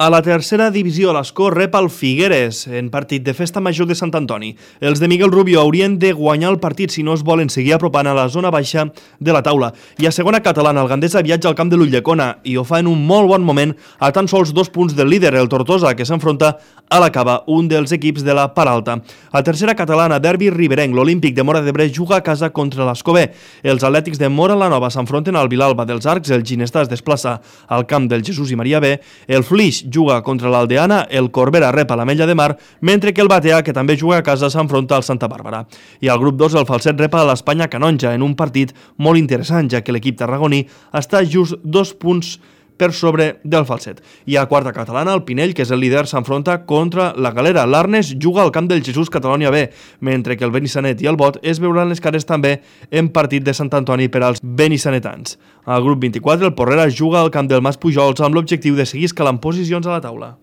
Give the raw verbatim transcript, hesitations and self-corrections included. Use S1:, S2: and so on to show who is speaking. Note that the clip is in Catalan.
S1: A la tercera divisió, l'Escó rep el Figueres en partit de festa major de Sant Antoni. Els de Miguel Rubio haurien de guanyar el partit si no es volen seguir apropant a la zona baixa de la taula. I a segona catalana, el Gandesa viatja al camp de l'Ulldecona i ho fa en un molt bon moment a tan sols dos punts del líder, el Tortosa, que s'enfronta a la Cava, un dels equips de la part alta. A tercera catalana, derbi riberenc, l'Olímpic de Móra d'Ebre juga a casa contra l'Escó B. Els atlètics de Móra la Nova s'enfronten al Vilalba dels Arcs, el Ginestar es desplaça al camp del Jesús i Maria B, el Flix juga contra l'Aldeana, el Corbera rep a l'Ametlla de Mar, mentre que el Batea, que també juga a casa, s'enfronta al Santa Bàrbara. I al grup dos, el Falset rep a l'Espanya Canonja en un partit molt interessant, ja que l'equip tarragoní està just dos punts per sobre del Falset. I a quarta catalana, el Pinell, que és el líder, s'enfronta contra la Galera. L'Arnes juga al camp del Jesús Catalonia B, mentre que el Benissanet i el Bot es veuran les cares també en partit de Sant Antoni per als benissanetans. Al grup vint-i-quatre, el Porrera juga al camp del Mas Pujols amb l'objectiu de seguir escalant posicions a la taula.